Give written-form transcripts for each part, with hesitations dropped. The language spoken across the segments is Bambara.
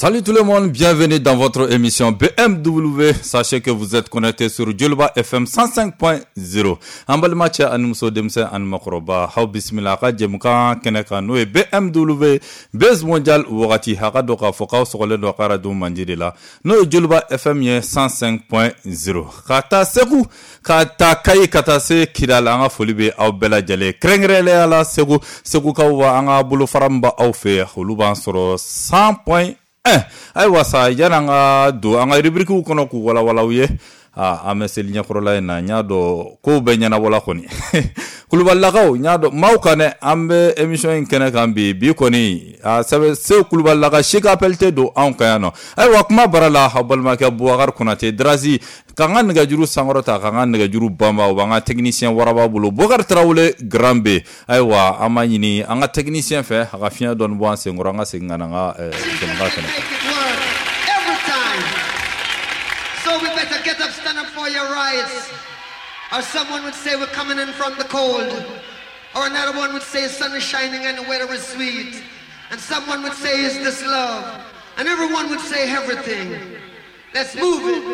Salut tout le monde, bienvenue dans votre émission BMW. Sachez que vous êtes connecté sur Djoliba FM 105.0. An balima cɛ ani muso, denmisɛn ani makɔrɔba, aw bisimila a ka jɛmukan kɛnɛ kan, n'o ye BMW Buzz Mondial. Wagati a ka dɔn k'a fɔ k'aw sɔgɔlen don a ka radio mandi de la, n'o ye Djoliba FM ye 105.0. Ka taa Segu, ka taa Kayi, ka taa se Kidal, an ka foli bɛ aw bɛɛ lajɛlen, kɛrɛnkɛrɛnnenya la Segu. Segukaw, wa an ka bolofara min b'aw fɛ, olu b'an sɔrɔ 100.1. Ayiwa sa, yanni an ka don an ka rubriques kɔnɔ k'u walawala aw ye, an bɛ seli ɲɛkɔrɔla in na. N y'a dɔn kow bɛɛ ɲɛnabɔla kɔni. Kulubalilakaw, n y'a dɔn maaw kan dɛ. An bɛ émission in kɛnɛ kan bi. Bi kɔni, a sɛbɛn Segu Kulubalilaka si ka appel tɛ don anw kan yan nɔ. Ayiwa, kuma bara la, aw balimakɛ Bubakari Konate Drazi, k'an ka nɛgɛjuru sankɔrɔta, k'an ka nɛgɛjuru banba, o b'an ka technicien waraba bolo, Bubakari Tarawele Grand B. Ayiwa, an b'a ɲini an ka technicien fɛ, a ka fiɲɛ dɔɔni bɔ an senkɔrɔ, an ka segin ka na an ka jɛmukan kɛnɛ kan. Every time. So we better get up, stand up for your rights. Or someone would say we're coming in from the cold. Or another one would say the sun is shining and the weather is sweet. And someone would say, is this love? And everyone would say everything. Let's move it.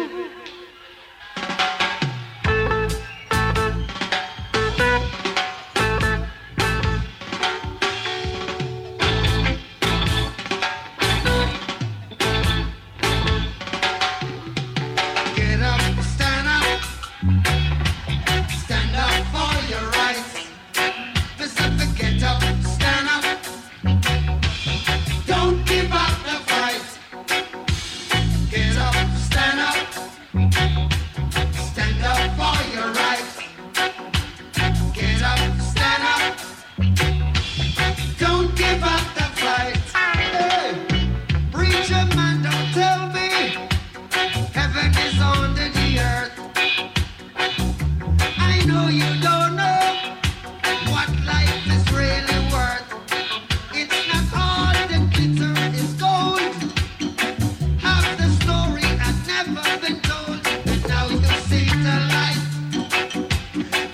Get up, stand up. Stand up for your rights. Pacific, get up, stand up. Don't give up the fight. Get up, stand up. Stand up for your rights. Get up, stand up. Don't give up the fight. Hey, preacher man, don't tell me heaven is under the earth. I know you don't know what life is really worth. It's not all that glitter is gold. Half the story has never been told. And now you see the light.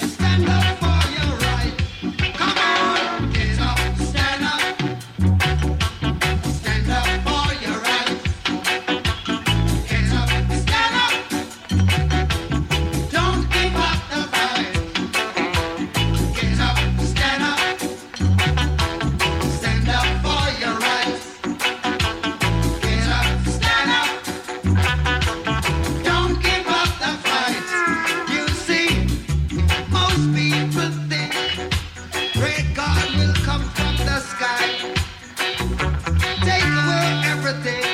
Stand up for your right. Come on, get up, stand up. Stand up for your right. Get up, stand up. Don't give up the fight. Get up, stand up. Stand up for your rights. Get up, stand up. Don't give up the fight. You see, most people think great God will come from the sky, take away everything,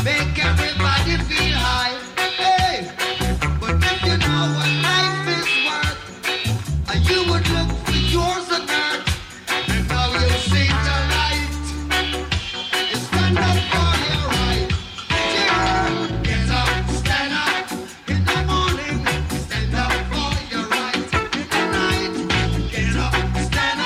make everybody feel high. Hey, but if you know what life is worth, you would look for yours on earth. And now you see the light. You stand up for your right. Yeah. Get up, stand up in the morning. Stand up for your right. In the night. Get up, stand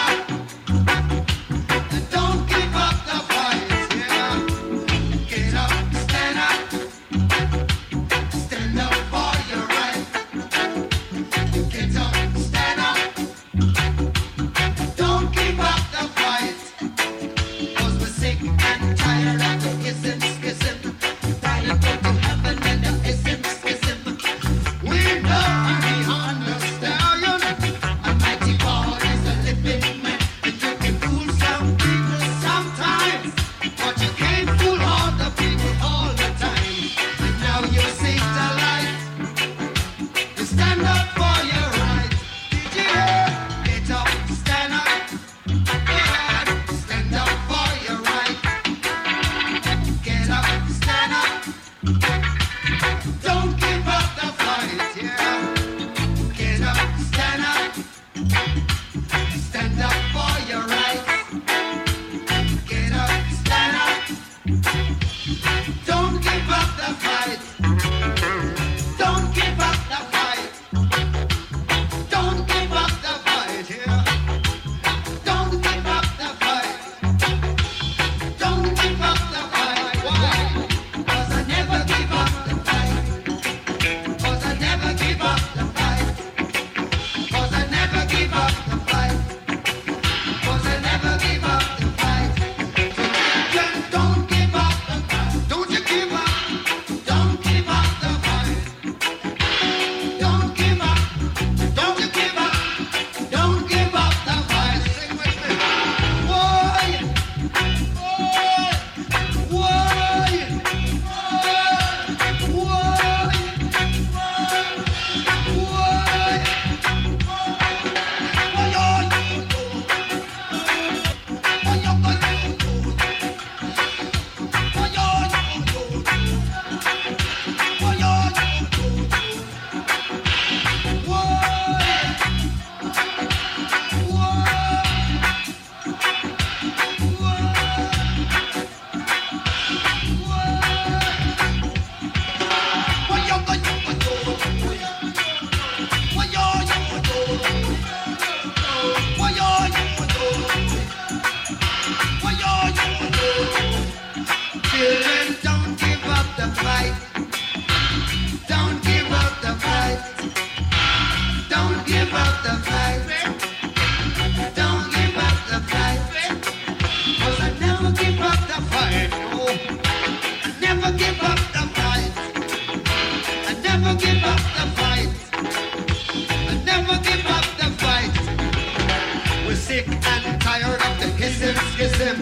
and tired of the hissim, schism.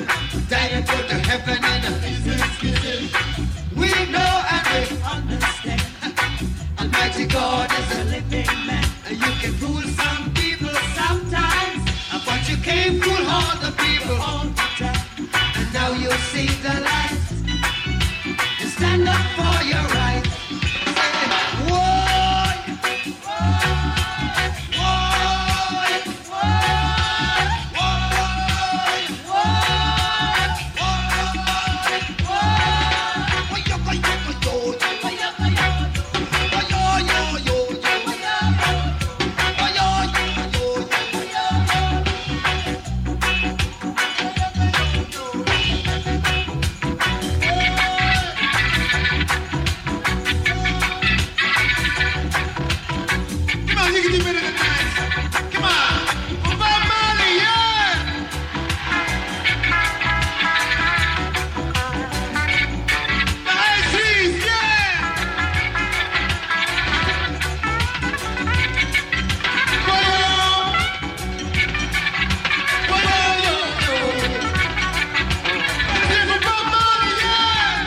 Time to go to heaven in a hissim, schism. We know and we understand. Almighty God is a living man. And you can fool some people sometimes, but you can't fool all the people all the time. And now you see the light. You stand up for your right. Say, whoa, whoa, whoa, whoa, whoa, whoa, Come on, you can do better than that. Come on. Bob Marley, yeah! The high seas, yeah! Whoa, whoa, yo, yo. Let's hear for Bob Marley, yeah!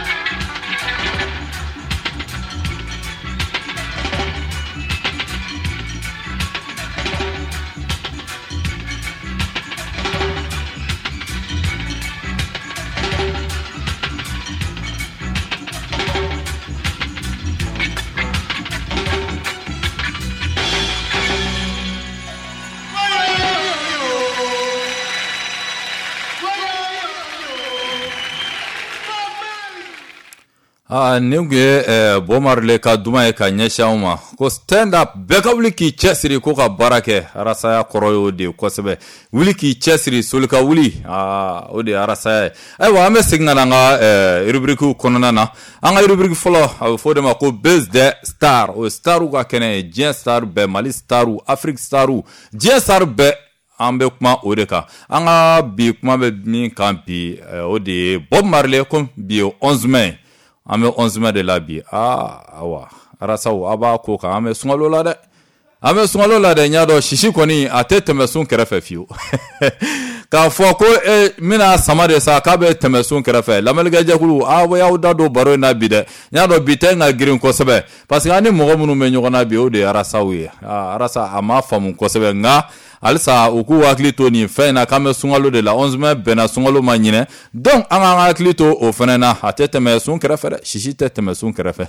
Aa, nin tun ye Bob Marley ka duman ye ka ɲɛsin anw ma ko stand up, bɛɛ ka wuli k'i cɛsiri ko ka baara kɛ. Arasaya kɔrɔ y'o de ye kosɛbɛ, wuli k'i cɛsiri, soli ka wuli, aa, o de ye arasaya ye. Ayiwa, an bɛ segin ka na an ka rubrique kɔnɔna na. An ka rubrique fɔlɔ, a bɛ fɔ o de ma ko Buzz des Stars. O ye starw ka kɛnɛ ye, diɲɛ star bɛɛ, Mali starw, Afrique starw, diɲɛ star bɛɛ, an bɛ kuma o de kan. An ka bi kuma bɛ min kan bi, o de ye Bob Marley. Ko bi ye 11 mai, an bɛ 11 mai de la bi. Aa, awa, arasaw, a b'a ko kan, an bɛ sunkalo la dɛ, an bɛ sunkalo la dɛ. N y'a dɔn sisi kɔni a tɛ tɛmɛ sun kɛrɛfɛ fiyewu. K'a fɔ ko e n bɛna sama de sa k'a bɛ tɛmɛ sun kɛrɛfɛ. Lamɛnnikɛjɛkulu, aw y'aw da don baro in na bi dɛ. N y'a dɔn bi tɛ ka girin kosɛbɛ, parce que an ni mɔgɔ minnu bɛ ɲɔgɔn na bi, o de ye arasaw ye. Aa, arasa a ma faamu kosɛbɛ, nka halisa u k'u hakili to nin fɛn in na k'an bɛ sunkalo de la. 11 mai bɛnna sunkalo ma ɲinɛ, donc an k'an hakili to o fɛnɛ na. A tɛ tɛmɛ sun kɛrɛfɛ dɛ, sisi tɛ tɛmɛ sun kɛrɛfɛ.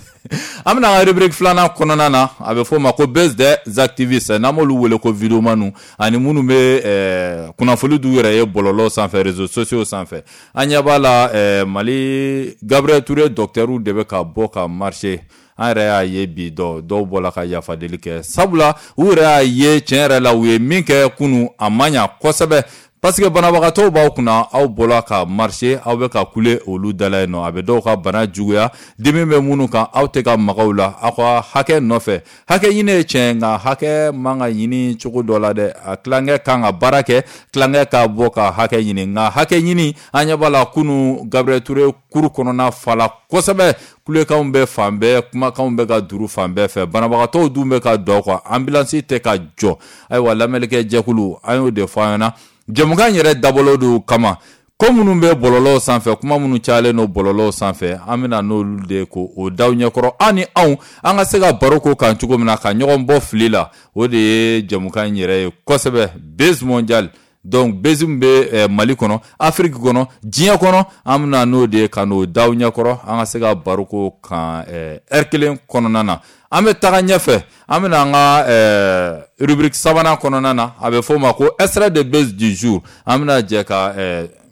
An bɛna an ka rubrique filanan kɔnɔna na, a bɛ fɔ o ma ko Buzz des activistes, n'an b'olu wele ko videomaniw, ani minnu bɛ kunnafoni d'u yɛrɛ ye bɔlɔlɔ sanfɛ, réseaux sociaux sanfɛ. An ɲɛ b'a la, Mali Gabriel Touré docteur de bɛ ka bɔ ka marcher. An yɛrɛ y'a ye bi, dɔ dɔw bɔla ka yafadeli kɛ, sabula u yɛrɛ y'a ye tiɲɛ yɛrɛ la, u ye min kɛ kunu, a ma ɲa kosɛbɛ, parce que banabagatɔw b'aw kunna, aw bɔla ka marcher, aw bɛ ka kule olu da la yen nɔ, a bɛ dɔw ka bana juguya, dimi bɛ minnu kan, aw tɛ ka maga u la aw ka hakɛ nɔfɛ. Hakɛ ɲini ye tiɲɛ, nka hakɛ man ka ɲini cogo dɔ la dɛ. A tilankɛ kan ka baara kɛ, tilankɛ ka bɔ ka hakɛ ɲini, nka hakɛ ɲini, an ɲɛ b'a la kunu Gabriel Touré kuru kɔnɔna fala kosɛbɛ, kulekanw bɛ fan bɛɛ, kumakanw bɛ ka duru fan bɛɛ fɛ, banabagatɔw dun bɛ ka dɔ kan, ambulance tɛ ka jɔ. Ayiwa, lamɛnnikɛ jɛkulu, an y'o de fɔ an ɲɛna jɛmukan yɛrɛ dabɔlen don kama, ko minnu bɛ bɔlɔlɔw sanfɛ, kuma minnu cayalen don bɔlɔlɔw sanfɛ, an bɛna n'olu de ko o daw ɲɛkɔrɔ, an ni anw an ka se ka baro ko kan cogo min na ka ɲɔgɔn bɔ fili la. O de ye jɛmukan in yɛrɛ ye kosɛbɛ, Buzz mondial. Donc buzz min bɛ Mali kɔnɔ, Afrique kɔnɔ, diɲɛ kɔnɔ, an bɛna n'o de ye ka n'o daw ɲɛkɔrɔ, an ka se ka baro ko kan heure kelen kɔnɔna na. An bɛ taga ɲɛfɛ, an bɛna an ka rubrique sabanan kɔnɔna na, a bɛ fɔ o ma ko extrait de buzz du jour. An bɛna jɛ ka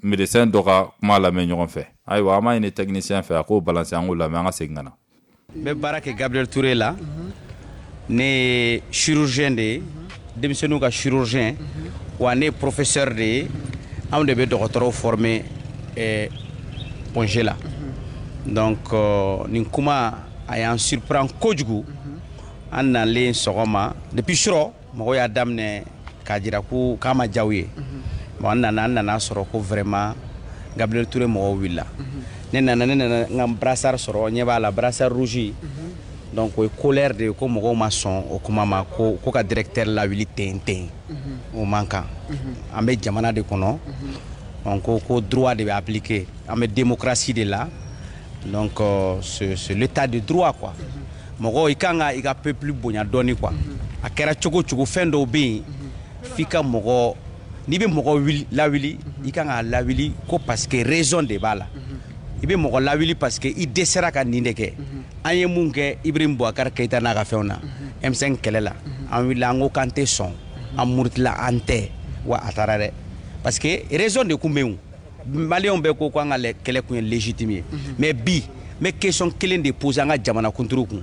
médecin dɔ ka kuma lamɛn ɲɔgɔn fɛ. Ayiwa, an b'a ɲini technicien fɛ a k'o balancer, an k'o lamɛn, an ka segin ka na. N bɛ baara kɛ Gabriel Touré la. Ne ye chirurgien de ye, denmisɛnninw ka chirurgien, wa ne ye professeur de ye. Anw de bɛ dɔgɔtɔrɔw former Point G la. Donc nin kuma a y'an surprend kojugu. An nalen sɔgɔma, depuis surɔ mɔgɔw y'a daminɛ k'a jira ko k'a ma diya u ye. Bon, an nana sɔrɔ ko vraiment Gabriel Touré mɔgɔw wulila. Ne nana n ka brassard sɔrɔ, ɲɛ b'a la, brassard rouge. Donc o ye colère de ye, ko mɔgɔw ma sɔn o kuma ma, ko ka directeur lawuli ten ten. O man kan. An bɛ jamana de kɔnɔ. On ko ko droit de bɛ appliquer. An bɛ démocratie de la. Donc c'est l'état de droit quoi. Mɔgɔ i kan ka i ka peuple bonya dɔɔni quoi. A kɛra cogo cogo, fɛn dɔw bɛ yen f'i ka mɔgɔ, n'i bɛ mɔgɔ wuli lawuli, i kan k'a lawuli ko parce que raison de b'a la. I bɛ mɔgɔ lawuli parce que i dɛsɛra ka nin de kɛ. An ye mun kɛ Ibrahim Boubacar Keïta n'a ka fɛnw na, M5 kɛlɛ la, an wulila, an ko k'an tɛ sɔn, an murutila, an tɛ wa a taara dɛ, parce que raison de kun bɛ yen. Maliyɛnw bɛɛ ko k'an ka kɛlɛ kun ye légitime ye. Mais bi n bɛ question kelen de poser an ka jamanakuntigi kun: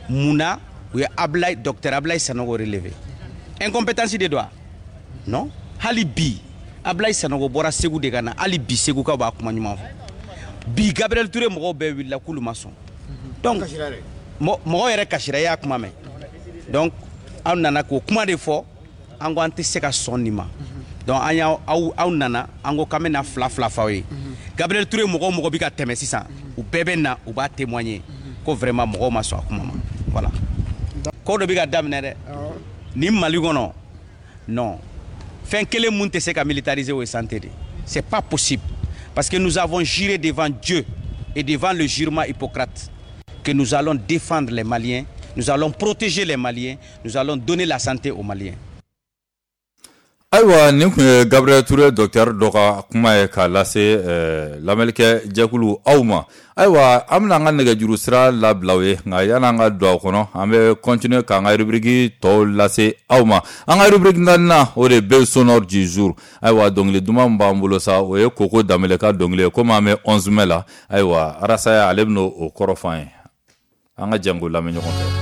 mun na u ye Ablaye, docteur Ablaye Sanogo relevé? Incompétence de don wa? Non. Hali bi Ablaye Sanogo bɔra Segu de ka na, hali bi Segukaw b'a kuma ɲuman fɔ. Bi Gabriel Touré mɔgɔw bɛɛ wulila k'olu ma sɔn. Donc mɔgɔw yɛrɛ kasira, i y'a kuma mɛn. Donc aw nana k'o kuma de fɔ, an ko an tɛ se ka sɔn nin ma. Donc an y'aw aw nana, an ko k'an bɛna fila fila f'aw ye. Gabriel Touré mɔgɔ o mɔgɔ bɛ ka tɛmɛ sisan, u bɛɛ bɛ na, u b'a témoigner ko vraiment mɔgɔw ma sɔn a kuma ma. Voilà, ko dɔ bɛ ka daminɛ dɛ nin Mali kɔnɔ. Non, fɛn kelen mun tɛ se ka militariser, o ye santé de. C'est pas possible, parce que nous avons juré devant Dieu et devant le jurement Hippocrate que nous allons défendre les Maliens, nous allons protéger les Maliens, nous allons donner la santé aux Maliens. Ayiwa, nin tun ye Gabriel Touré docteur dɔ ka kuma ye k'a lase lamɛnnikɛ jɛkulu aw ma. Ayiwa, an bɛna an ka nɛgɛjuru sira labila aw ye, nka yan'an ka don a kɔnɔ, an bɛ continuer k'an ka rubrique tɔw lase aw ma. An ka rubrique naaninan, o de bɛ sonore du jour. Ayiwa, dɔnkili duman min b'an bolo sa, o ye Koko Danbele ka dɔnkili ye. Komi an bɛ 11 mai la, ayiwa, Arasaya ale bɛna o kɔrɔ fɔ an ye. An ka jɛn k'o lamɛn ɲɔgɔn fɛ.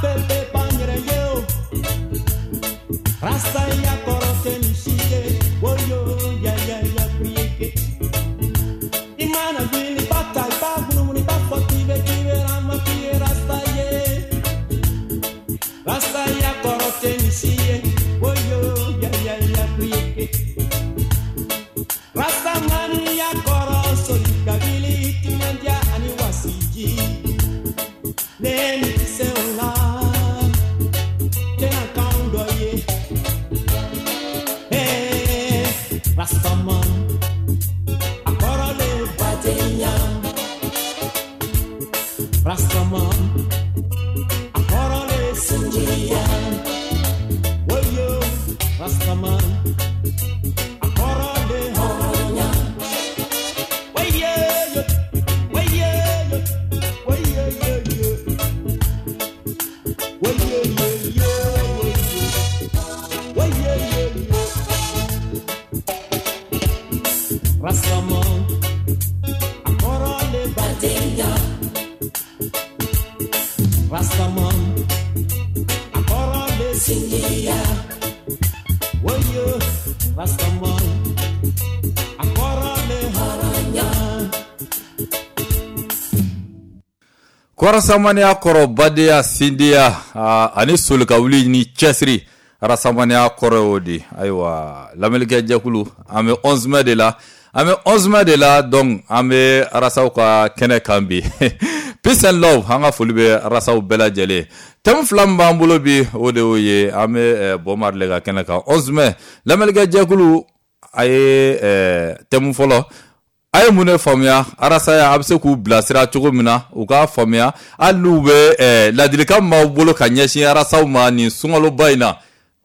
Bɛɛ bɛ ban yɛrɛ ye o. Rasta ya kɔrɔ tɛ nin si ye. Woyo ya ya ya priye. I mana wuli ba ta i b'a munumunu i b'a fɔ k'i bɛ rama k'i ye rasta ye. Rasta ya kɔrɔ tɛ nin si ye. Woyo ya ya ya priye. Rasta mani ya kɔrɔ soli ka wuli timinandiya ani wasiji. Ne ni ti se o la. Tɛna k'anw dɔ ye. Hey, Rastaman, a kɔrɔ le badenya. Rastaman, a kɔrɔ le sinjiya. Woyo, Rastaman, a kɔrɔ le hɔrɔnya. Woyo, woyo, woyo, yo, yo. Woyo, yo, yo, woyo, yo, yo. Rastaman, a kɔrɔ le badenya. Rastaman, a kɔrɔ le sinjiya. Woyo, Rastaman, a kɔrɔ le hɔrɔnya. Kɔrɔsamaniya kɔrɔ badenya sindiya ani solikawuli ni cɛsiri rasamaniya kɔrɔ y'o de. Ayiwa lamɛnnikɛ jɛkulu an bɛ 11 mai de la, an bɛ 11 mai de la, donc an bɛ arasaw ka kɛnɛ kan bi. Peace and love, an ka foli bɛ arasaw bɛɛ lajɛlen. Thème fila min b'an bolo bi o de y'o ye, an bɛ Bob Marley ka kɛnɛ kan 11 mai. Lamɛnnikɛ jɛkulu a ye thème fɔlɔ a ye mun de faamuya arasaya a bɛ se k'u bilasira cogo min na u k'a faamuya hali n'u bɛ ladilikan min b'aw bolo ka ɲɛsin arasaw ma nin sunkaloba in na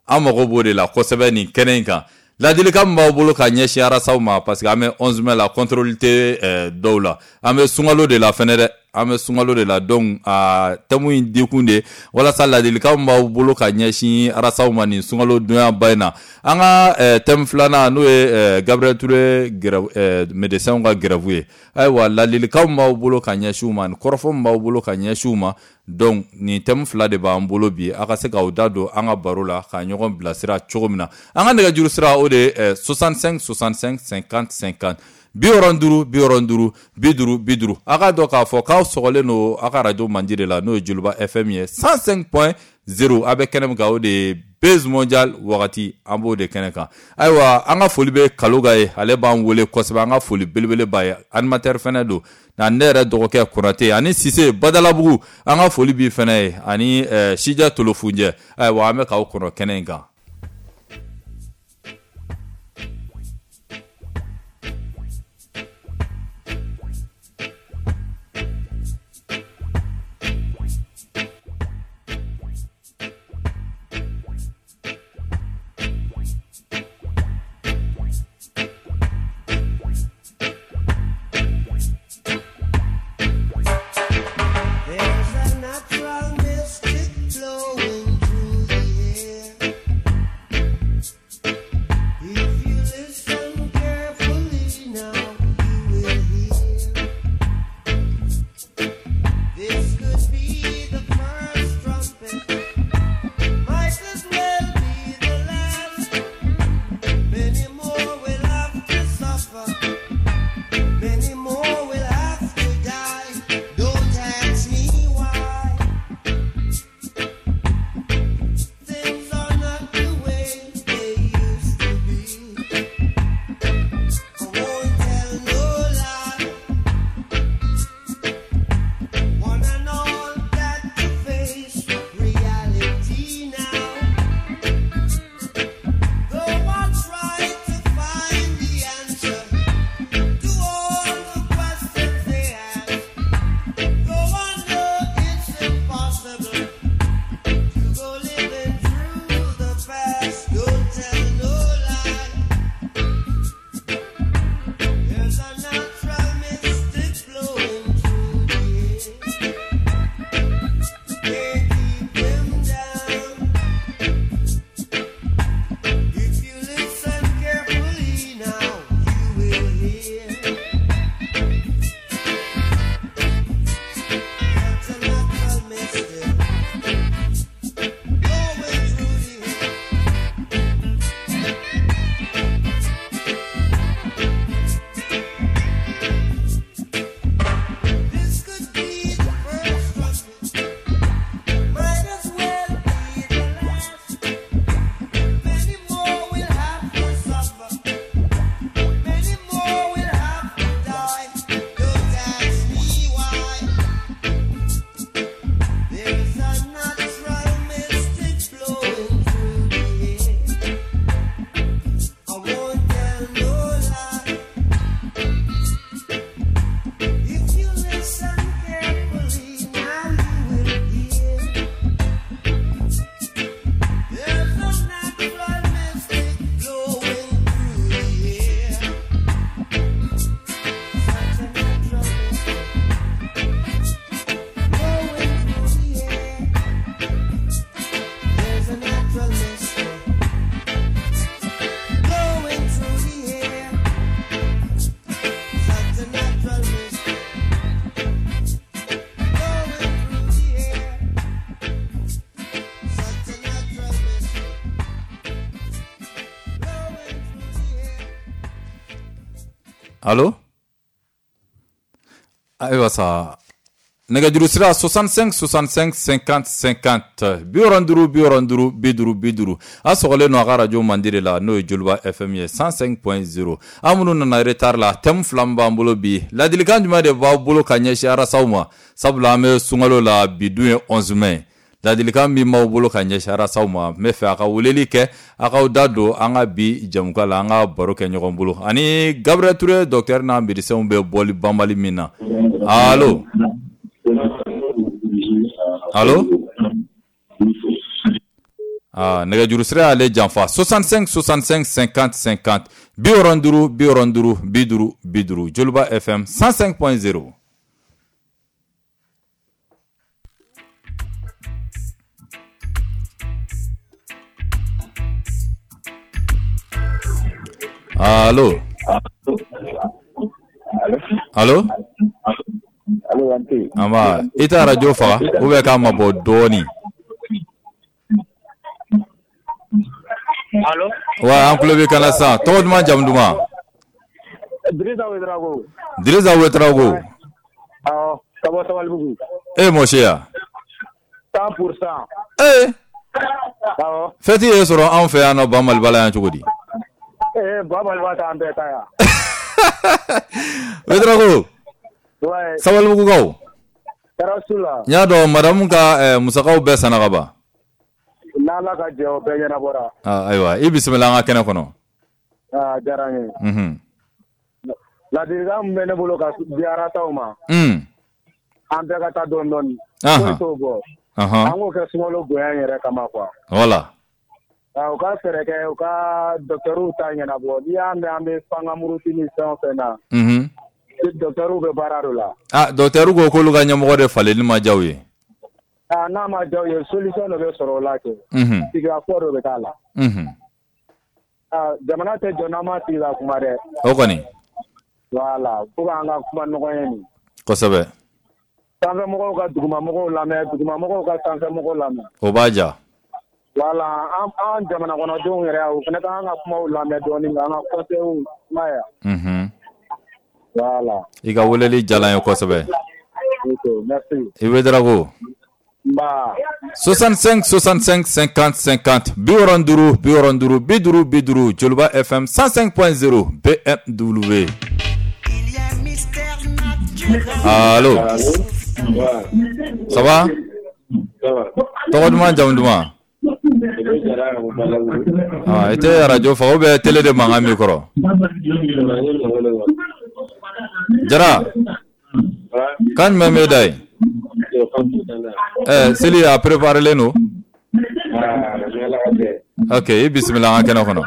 an mago b'o de la kosɛbɛ nin kɛnɛ in kan. Ladilikan min b'aw bolo ka ɲɛsin arasaw ma parce que an bɛ 11 mai la contrôle tɛ dɔw la, an bɛ sunkalo de la fɛnɛ dɛ, an bɛ sunkalo de la, donc a thème in dikun de walasa ladilikan min b'aw bolo ka ɲɛsin arasaw ma nin sunkalo donyaba in na. An ka thème filanan n'o ye Gabriel Touré grève, médecins ka grève ye. Ayiwa ladilikan min b'aw bolo ka ɲɛsin u ma, nin kɔrɔfɔ min b'aw bolo ka ɲɛsin u ma, donc nin thème fila de b'an bolo bi a ka se k'aw da don an ka baro la ka ɲɔgɔn bilasira cogo min na. An ka nɛgɛjuru sira o de ye 65 65 50 50 65 65 50 50. A k'a dɔn k'a fɔ k'aw sɔgɔlen don a ka radio mandi de la n'o ye Joliba FM ye 105.0. A bɛ kɛnɛ min kan o de ye Buzz Mondial wagati, an b'o de kɛnɛ kan. Ayiwa an ka foli bɛ Kaloga ye, ale b'an wele kosɛbɛ, an ka foli belebele b'a ye, animateur fɛnɛ don nka ne yɛrɛ dɔgɔkɛ Konate ani Sise Badalabugu, an ka foli b'i fɛnɛ ye ani Sija Tolofunjɛ. Ayiwa an bɛ k'aw kɔnɔ kɛnɛ in kan. There's a natural mystic flowing through the air. Allo? Ayiwa sa, nɛgɛjuru sira 65 65 50 50, 65 65 50 50. A sɔgɔlen don a ka radio mandi de la, n'o ye Joliba FM ye 105.0. An minnu nana retard la, thème fila min b'an bolo bi, ladilikan jumɛn de b'aw bolo ka ɲɛsin arasaw ma? Sabula an bɛ sunkalo la, bi dun ye 11 mai. Ladilikan min b'aw bolo ka ɲɛsin arasaw ma, n bɛ fɛ a ka weleli kɛ, a k'aw da don an ka bi jɛmukan la, an ka baro kɛ ɲɔgɔn bolo. Ani Gabriel Touré docteur n'a médecins bɛ bɔli banbali min na. Allo? Allo? Ah, nɛgɛjuru sira y'ale janfa 65 65 50 50, 65 65 50 50, Joliba FM 105.0. Allo? Allo? Amba, i tɛ radio faga ou bien k'a mabɔ dɔɔni. Allo? Wa an tulo b'i kan na sisan. Tɔgɔ duman, jamu duman? Dirisa Ouedraogo. Dirisa Ouedraogo. Awɔ, ka bɔ Sabalibugu. E mɔsi ya? 100%. Ee. Awɔ. Fɛti ye sɔrɔ anw fɛ yan nɔ Ba Maliba la yan cogo di? Ee, Ba Maliba t'an bɛɛ ta yan. Ouedraogo. Ouais. Sabalibugukaw. Tɔɔrɔ t'u la. N y'a dɔn madamu ka musakaw bɛɛ sanna ka ban. N'Ala ka jɛ, o bɛɛ ɲɛnabɔra. Ayiwa, i bisimila an ka kɛnɛ kɔnɔ. Aa, diyara n ye. Ladilikan min bɛ ne bolo ka di arasaw ma. An bɛɛ ka taa dɔɔni dɔɔni. Foyi t'o bɔ. An k'o kɛ sunkalo bonya in yɛrɛ kama quoi. Voilà. U ka fɛɛrɛ kɛ, u ka docteurw ta ɲɛnabɔ. N'i y'a mɛn an bɛ fanga muruti ni fɛn o fɛn na. Docteurw bɛ baara dɔ la. Ah, docteurw ko k'olu ka ɲɛmɔgɔ de falenni ma diya u ye. Ah, n'a ma diya u ye, solution dɔ bɛ sɔrɔ o la kɛ. Sigikafɔ dɔ bɛ k'a la. Ah, jamana tɛ jɔ n'an ma sigi ka kuma dɛ. O kɔni. Voilà, fo k'an ka kuma ɲɔgɔn ye nin. Kosɛbɛ. Sanfɛmɔgɔw ka dugumamɔgɔw lamɛn, dugumamɔgɔw ka sanfɛmɔgɔw lamɛn. O b'a diya. Voilà, an jamana kɔnɔdenw yɛrɛ, u fana k'an ka kumaw lamɛn dɔɔni, k'an ka conseils kuma yan. Voilà. I ka weleli diyara n ye kosɛbɛ. Ok, merci. I Ouedraogo. Nba. 65 65 50 50, 65 65 50 50, Joliba FM 105.0 BMW. Allo? Ça va? Tɔgɔ duman, jamu duman? Ah, i tɛ radio faga ou bien télé de mankan b'i kɔrɔ? Jara, kan jumɛn b'e da yen? Seli a préparé len don? Ok, i bisimila an ka kɛnɛ kɔnɔ.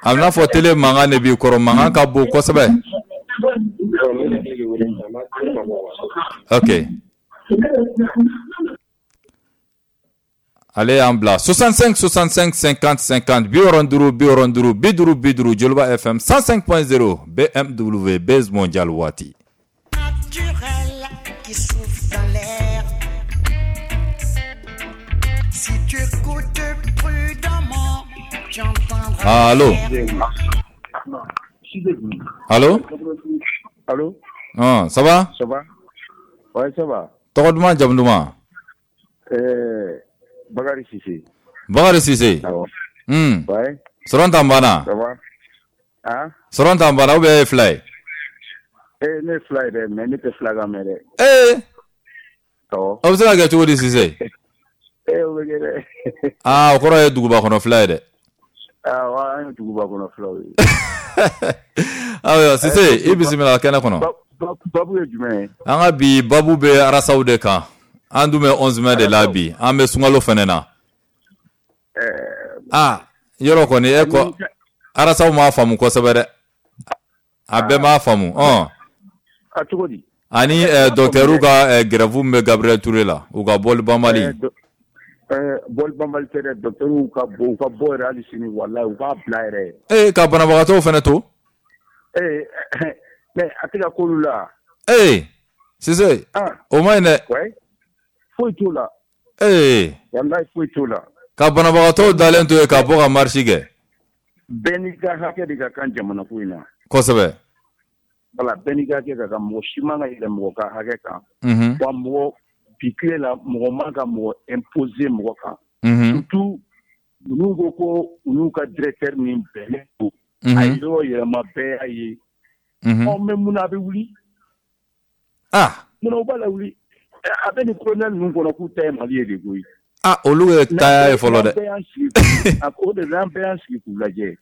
A bɛna fɔ télé mankan de b'i kɔrɔ, mankan ka bon kosɛbɛ. Ok. Ale y'an bila 65 65 50 50, 65 65 50 50, Joliba FM 105.0 BMW Base Mondial waati. Naturel qui souffle dans l'air. Si tu écoutes prudemment, tu entendras. Allô? Allô? Allô? Ah, ça va? Ça va? Ouais, ça va. Tɔgɔ duman, jamu duman? Bakary Cissé. Bakary Cissé. Awɔ. Ouais. Sɔrɔ t'an banna? Ça va? Hein? Sɔrɔ t'an banna ou bien e ye fila ye? Eh, ne ye fila ye dɛ, mais ne tɛ fila kan mɛn dɛ. Ee. Awɔ. O bɛ se ka kɛ cogo di, Cissé? Eh, o bɛ kɛ dɛ. Ah, o kɔrɔ ye duguba kɔnɔ fila ye dɛ. Awɔ, an ye duguba kɔnɔ filaw ye. Ayiwa, Cissé, i bisimila kɛnɛ kɔnɔ. Babu ye jumɛn ye? An ka bi babu bɛ arasaw de kan. An dun bɛ 11 mai de la bi. An bɛ sunkalo fɛnɛ na. Ah, yɔrɔ kɔni e ko arasaw m'a faamu kosɛbɛ dɛ. A bɛɛ m'a faamu. A cogo di? Ani docteur ka grève min bɛ Gabriel Touré la, u ka bɔli banbali. Bɔli banbali tɛ dɛ, docteur ka bɔ, u ka bɔ yɛrɛ hali sini, walahi u k'a bila yɛrɛ. Ee, ka banabagatɔw fɛnɛ to? Ee, mais a tɛ ka k'olu la. Ee. Sise, o ma ɲi dɛ. Foyi t'o la. Ee. Walayi foyi t'o la. Ka banabagatɔw dalen to yen ka bɔ ka marche kɛ. Bɛɛ n'i ka hakɛ de ka kan jamana ko in na. Kosɛbɛ. Voilà, bɛɛ n'i ka hakɛ ka kan, mɔgɔ si man ka yɛlɛ mɔgɔ ka hakɛ kan. Wa mɔgɔ bi tile la, mɔgɔ man ka mɔgɔ imposer mɔgɔ kan. Surtout ninnu ko ko u n'u ka directeur min bɛnnen don. A ye yɔrɔ yɛlɛma, bɛɛ y'a ye. Ɔ mais mun na a bɛ wuli? Ah. Munna u b'a lawuli? A bɛ nin colonel ninnu kɔnɔ k'u ta ye Mali ye de koyi. Ah, olu ye taya ye fɔlɔ dɛ. O de n'an bɛɛ y'an sigi k'u lajɛ.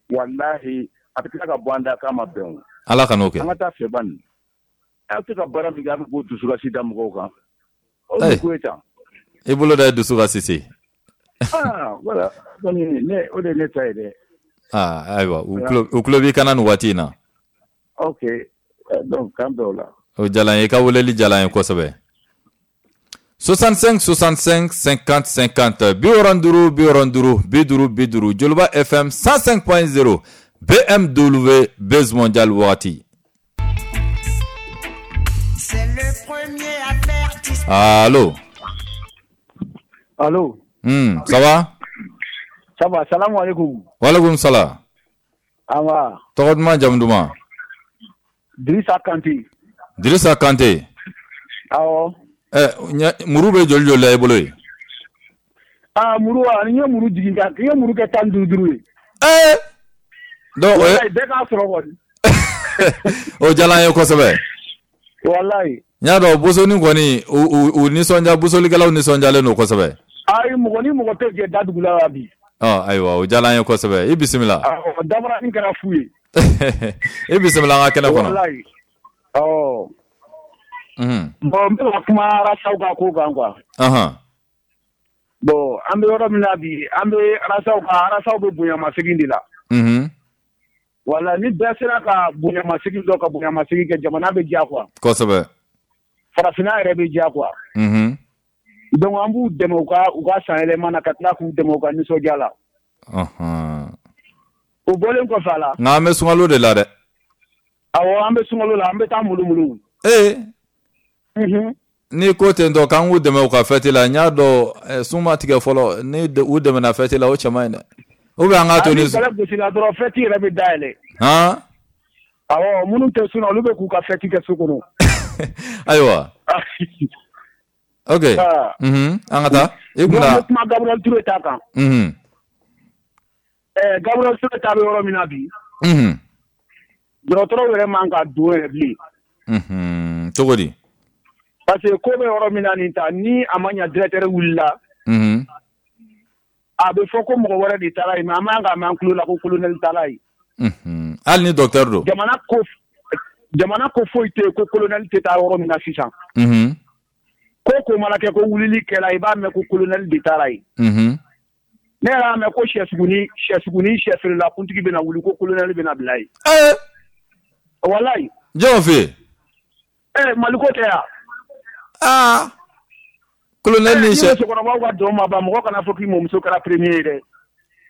Walahi a bɛ tila ka bɔ an da k'a ma bɛn o. Ala kan'o kɛ. An ka taa fɛ ban. Aw tɛ ka baara min kɛ, a bɛ k'o dusukasi da mɔgɔw kan. O ye ko ye tan. I bolo da ye dusu kan Sise. Ah voilà, kɔni ne o de ye ne ta ye dɛ. Ah ayiwa, u tulo b'i kana nin waati in na. Ok, donc k'an bɛn o la. O diyara n ye, i ka weleli diyara n ye kosɛbɛ. 65 65 50 50 65 65 50 50 Joliba FM 105.0 BMW Buzz Mondial wagati. Allo. Allo. Ça va? Ça va, salam alaikum. Wa alaikum salam. An Tɔgɔ duman, jamu duman? Dirisa Kante. Dirisa Kante. Awɔ. Muru bɛ joli joli la i bolo yen? Ah, muru wa, n ye muru jigin ka, n ye muru kɛ 15 ye. Donc o ye bɛɛ k'a sɔrɔ kɔni. O diyara n ye kosɛbɛ. Walayi. N y'a dɔn bosoni kɔni, u nisɔndiya, bosolikɛlaw nisɔndiyalen don kosɛbɛ. Ayi, mɔgɔ ni mɔgɔ tɛ jɛ dadugu la bi. Ɔ ayiwa, o diyara n ye kosɛbɛ. I bisimila. Awɔ, dabaranin kɛra fu ye. I bisimila an ka kɛnɛ kɔnɔ. Walayi. Awɔ. Bon, n bɛ ka kuma Arasaw ka ko kan quoi. Bon, an bɛ yɔrɔ min na bi, an bɛ Arasaw ka, Arasaw bɛ bonyamasegin de la. Wala ni bɛɛ sera ka bonyamasegin dɔ ka bonyamasegin kɛ, jamana bɛ diya quoi. Kosɛbɛ. Farafinna yɛrɛ bɛ diya quoi. Donc an b'u dɛmɛ u ka san yɛlɛma na, ka tila k'u dɛmɛ u ka nisɔndiya la. O bɔlen kɔfɛ a la. Nka an bɛ sunkalo de la dɛ. Awɔ, an bɛ sunkalo la, an bɛ taa mulumulu. N'i ko ten tɔ k'an k'u dɛmɛ u ka fête la, n y'a dɔn sun ma tigɛ fɔlɔ, ni u dɛmɛna fête la, o cɛ man ɲi dɛ. Ou bien an k'a to ni. Ni bɛlɛ gosila dɔrɔn, fête yɛrɛ bɛ dayɛlɛ. Han. Awɔ, minnu tɛ sun na, olu bɛ k'u ka fête kɛ so kɔnɔ. Ayiwa. Ok. An ka taa. I kun na. N bɛ kuma Gabriel Touré ta kan. Gabriel Touré ta bɛ yɔrɔ min na bi. Dɔgɔtɔrɔw yɛrɛ man ka don yɛrɛ bilen. Cogo di? Parce que ko bɛ yɔrɔ min na nin ta, ni a ma ɲa directeur wulila. A bɛ fɔ ko mɔgɔ wɛrɛ de taara yen, mais an man ka mɛn an tulo la ko colonel taara yen. Hali ni docteur don. Jamana ko foyi tɛ yen ko colonel tɛ taa yɔrɔ min na sisan. Ko mana kɛ ko wulili kɛra, i b'a mɛn ko colonel de taara yen. Ne yɛrɛ y'a mɛn ko sɛsuguni sɛfeerela kuntigi bɛna wuli ko colonel bɛna bila yen. Walayi. Jɔn fɛ yen? Maliko tɛ yan. Aa. Colonel ni sɛ. Ni musokɔrɔbaw ka dɔn ma ban, mɔgɔ kana fɔ k'i mɔmuso kɛra premier ye dɛ.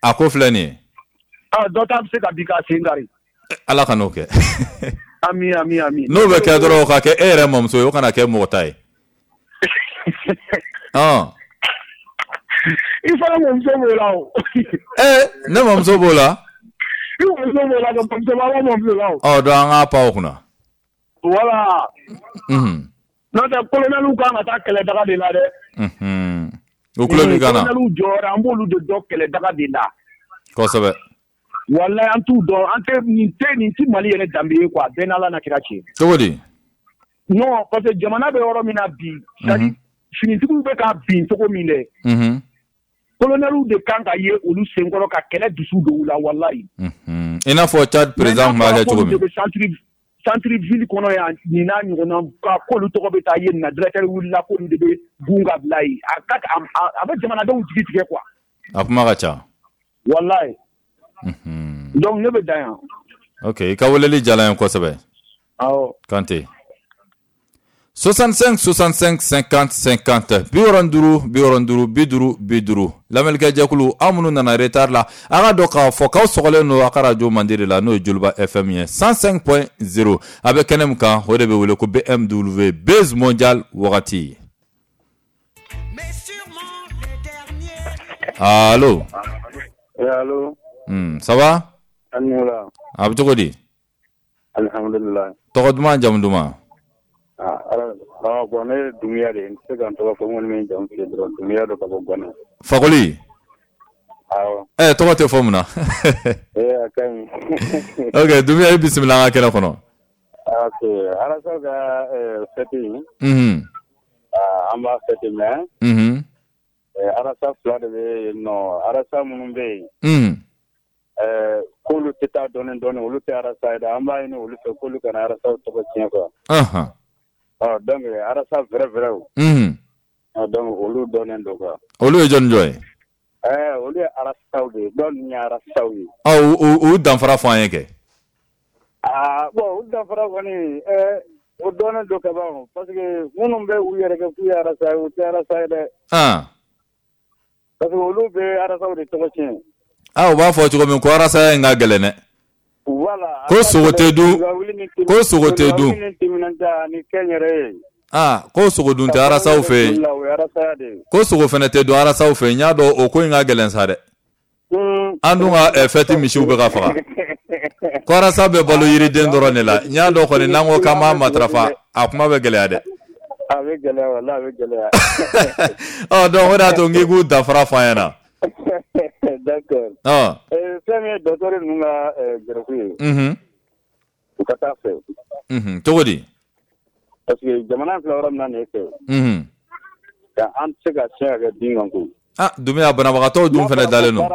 A ko filɛ nin ye. Dɔ ta bɛ se ka bin k'a sen kari. Ala kan'o kɛ. Ami ami ami. N'o bɛ kɛ dɔrɔn, o ka kɛ e yɛrɛ mɔmuso ye, o kana kɛ mɔgɔ ta ye. I fana mɔmuso b'o la o. Ne mɔmuso b'o la. I mɔmuso b'o la, mɔmuso b'a mɔmuso la o. Ɔ donc an k'a pan o kunna. Voilà. N'o tɛ colonel kan ka taa kɛlɛdaga de la dɛ. O tulo b'i kan na. Colonel jɔyɔrɔ, an b'olu de dɔn kɛlɛdaga de la. Kosɛbɛ. Walayi, an t'u dɔn, an tɛ nin tɛ nin ti Mali yɛrɛ danbe ye quoi, bɛɛ n'Ala na kira cɛ. Cogo di? Non, parce que jamana bɛ yɔrɔ min na bi, c'est à dire finitigiw bɛ ka bin cogo min dɛ. Colonel de kan ka ye olu senkɔrɔ ka kɛlɛ dusu don u la, walayi. I n'a fɔ Tchad président tun b'a kɛ cogo min. Centre ville kɔnɔ yan, nin n'a ɲɔgɔnna, k'olu tɔgɔ bɛ taa ye nin na, directeur wulila k'olu de bɛ gun ka bila yen. A bɛ jamanadenw jigi tigɛ quoi. A kuma ka ca. Walayi. Donc ne bɛ dan yan. Ok, i ka weleli diyara n ye kosɛbɛ. Awɔ. Kante. 65 65 50 50 65 65 50 50. Lamɛnnikɛ jɛkulu, aw minnu nana retard la, a ka dɔn k'a fɔ k'aw sɔgɔlen don a ka radio mandi de la, n'o ye Joliba FM ye 105.0. A bɛ kɛnɛ min kan, o de bɛ wele ko BMW Buzz Mondial wagati. Allo. Allo. Ça va? A bɛ cogo di? Alhamdulillah. Tɔgɔ duman, jamu duman? Bon, ne ye Dunbiya de ye, n tɛ se ka n tɔgɔ fɔ, n kɔni bɛ n jamu f'i ye dɔrɔn, Dunbiya don ka bɔ Gana. Fakoli? Awɔ. Tɔgɔ tɛ fɔ mun na? A ka ɲi. Ok, Dunbiya, i bisimila an ka kɛnɛ kɔnɔ. Ok, Arasa ka fête in. An b'a fête mais. Arasa fila de bɛ yen nɔ, arasa minnu bɛ yen. K'olu tɛ taa dɔɔnin dɔɔnin, olu tɛ arasa ye dɛ, an b'a ɲini olu fɛ k'olu kana arasaw tɔgɔ tiɲɛ quoi. Donc arasa vrai vrai o. Donc olu dɔnnen don quoi. Olu ye jɔn jɔn ye? Olu ye arasaw de ye, dɔw ninnu ye arasaw ye. U danfara fɔ an ye kɛ. Bon, u danfara kɔni o dɔnnen don ka ban, parce que minnu bɛ u yɛrɛ kɛ k'u ye arasa ye, u tɛ arasa ye dɛ. Parce que olu bɛ arasaw de tɔgɔ tiɲɛ. U b'a fɔ cogo min ko arasaya in ka gɛlɛn dɛ. Voilà. Ko sogo tɛ dun. Ko sogo tɛ dun. Ko sogo dun tɛ arasaw fɛ yen. Ko sogo fana tɛ dun arasaw fɛ yen. N y'a dɔn o ko in ka gɛlɛn sa dɛ. An dun ka fɛti misiw bɛ ka faga. Ko arasa bɛ balo yiriden dɔrɔn de la. N y'a dɔn kɔni n'an ko k'an b'a matarafa, a kuma bɛ gɛlɛya dɛ. A bɛ gɛlɛya, walahi a bɛ gɛlɛya. Donc o de y'a to n k'i k'u danfara fɔ an ɲɛna. D'accord. Fɛn min ye docteur ninnu ka gɛrɛfu ye. U ka taa fɛ. Cogo di? Parce que jamana filɛ yɔrɔ min na nin ye fɛ. Ka an tɛ se ka siɲɛ ka kɛ bin kan koyi. Dunbiya, banabagatɔw dun fana dalen don.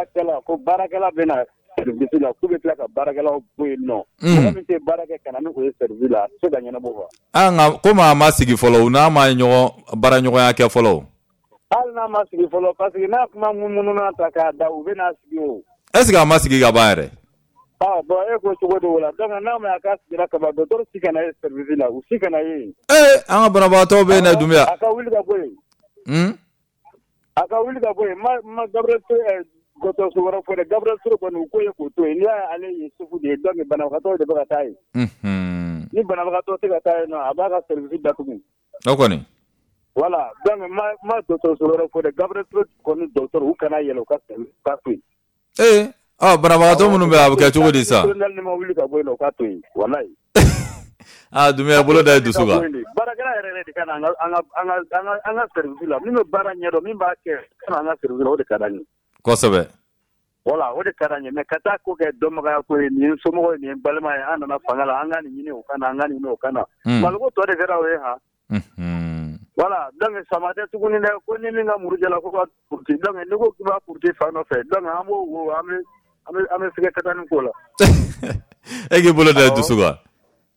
Ko baarakɛla bɛ na service la, k'u bɛ tila ka baarakɛlaw bɔ yen nɔ. Mɔgɔ min tɛ baara kɛ ka na ni o ye service la, a tɛ se ka ɲɛnabɔ quoi. Nka komi a ma sigi fɔlɔ, u n'a ma ɲɔgɔn baaraɲɔgɔnya kɛ fɔlɔ. Hali n'a ma sigi fɔlɔ, parce que n'a kuma munmununa ta k'a da, u bɛ n'a sigi o. Est ce que a ma sigi ka ban yɛrɛ? Bon, e ko cogo di o la? Donc n'a ma a ka sigira ka ban, docteur si kana ye service la, u si kana ye. An ka banabagatɔw bɛ yen dɛ, Dunbiya. A ka wuli ka bɔ yen. A ka wuli ka bɔ yen. Ma Gabriel Touré dɔgɔtɔrɔso wɛrɛ fɔ dɛ, Gabriel Touré kɔni u ko ye k'o to yen. N'i y'a ye ale ye sufu de ye, donc banabagatɔw de bɛ ka taa yen. Ni banabagatɔ tɛ ka taa yen nɔ, a b'a ka service datugu. O kɔni. Voilà, donc ma dɔgɔtɔrɔso wɛrɛ fɔ dɛ, Gabriel Touré kɔni docteur u kana yɛlɛ, u ka to yen. Banabagatɔ minnu bɛ yen, a bɛ kɛ cogo di sa? Colonel ma wuli ka bɔ yen nɔ, u ka to yen, walayi. Dunbiya, bolo da i dusu kan. Baarakɛla yɛrɛ de ka na an ka service la, min bɛ baara ɲɛdɔn, min b'a kɛ, ka na an ka service la, o de ka d'an ye. Kosɛbɛ. Voilà, o de ka d'an ye, mais ka taa ko kɛ dɔnbagaya ko ye, nin ye somɔgɔ ye, nin ye balima ye, an nana fanga la, an ka nin ɲini o ka na, an ka nin ɲini o ka na. Maliko tɔ de kɛra o ye han. Voilà, donc sama tɛ tuguni dɛ, ko ni min ka muru jala ko ka puruti, donc n'i ko k'i b'a puruti fan nɔfɛ, donc an b'o an bɛ sɛgɛ katani k'o la. E k'i bolo da i dusu kan.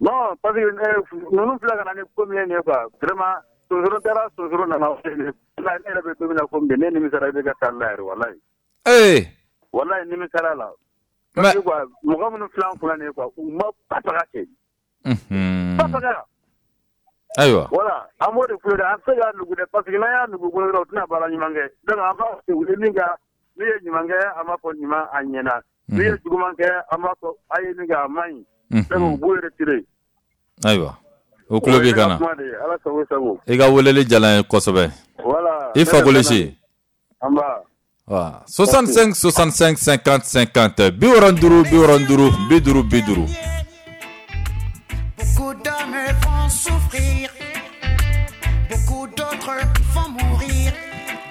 Non, parce que ninnu filɛ ka na ni ko min ye nin ye quoi, vraiment sonsoro taara, sonsoro nana, ne yɛrɛ bɛ don min na komi bi, ne nimisara i bɛ ka taa la yɛrɛ, walayi. Walayi, nimisara la. Parce que quoi, mɔgɔ minnu filɛ an kunna nin ye quoi, u ma bafaga kɛ. Bafaga. Ayiwa. Voilà, an b'o de f'u ye dɛ, an tɛ se k'a nugu dɛ, parce que n'an y'a nugu bolo dɔrɔn, u tɛna baara ɲuman kɛ. Donc an b'a fɔ u ye min kɛ, n'u ye ɲuman kɛ, an b'a fɔ ɲuman a ɲɛna. N'u ye juguman kɛ, an b'a fɔ a ye min kɛ a man ɲi. Donc u b'u retirer. Ayiwa. O tulo b'i kan na. Ala sago sago. I ka weleli diyara n ye kosɛbɛ. Voilà. I Fakoli si. An b'a. 65 65 50 50 65 65 50 50. Beaucoup d'hommes vont souffrir, beaucoup d'autres vont mourir.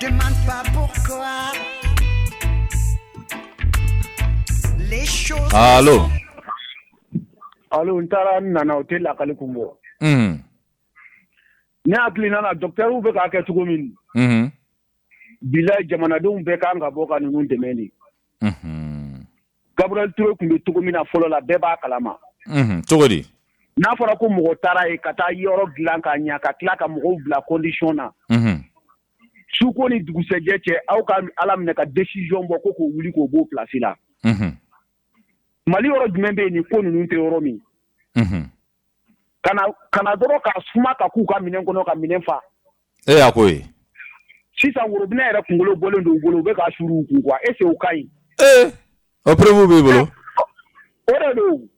Demande pas pourquoi. Les choses. Allô. Allô, n taara n nana o tɛ lakali kun bɔ. Ne hakili nana docteur bɛ k'a kɛ cogo min. Bilayi, jamanadenw bɛɛ kan ka bɔ ka ninnu dɛmɛ de. Gabriel Touré tun bɛ cogo min na fɔlɔ la, bɛɛ b'a kalama. Cogo di? N'a fɔra ko mɔgɔ taara yen ka taa yɔrɔ dilan ka ɲa, ka tila ka mɔgɔw bila condition na. Suko ni dugusɛjɛ cɛ, aw ka Ala minɛ ka décision bɔ ko k'o wuli k'o b'o place la. Mali yɔrɔ jumɛn bɛ yen nin ko ninnu tɛ yɔrɔ min? Ka na dɔrɔn ka suma ka k'u ka minɛn kɔnɔ ka minɛn fa. E y'a ko ye. Sisan worobinɛ yɛrɛ kunkolo bɔlen don u bolo, u bɛ k'a suuru u kun quoi, est ce que o ka ɲi? Ee, o preuve b'i bolo? O de don.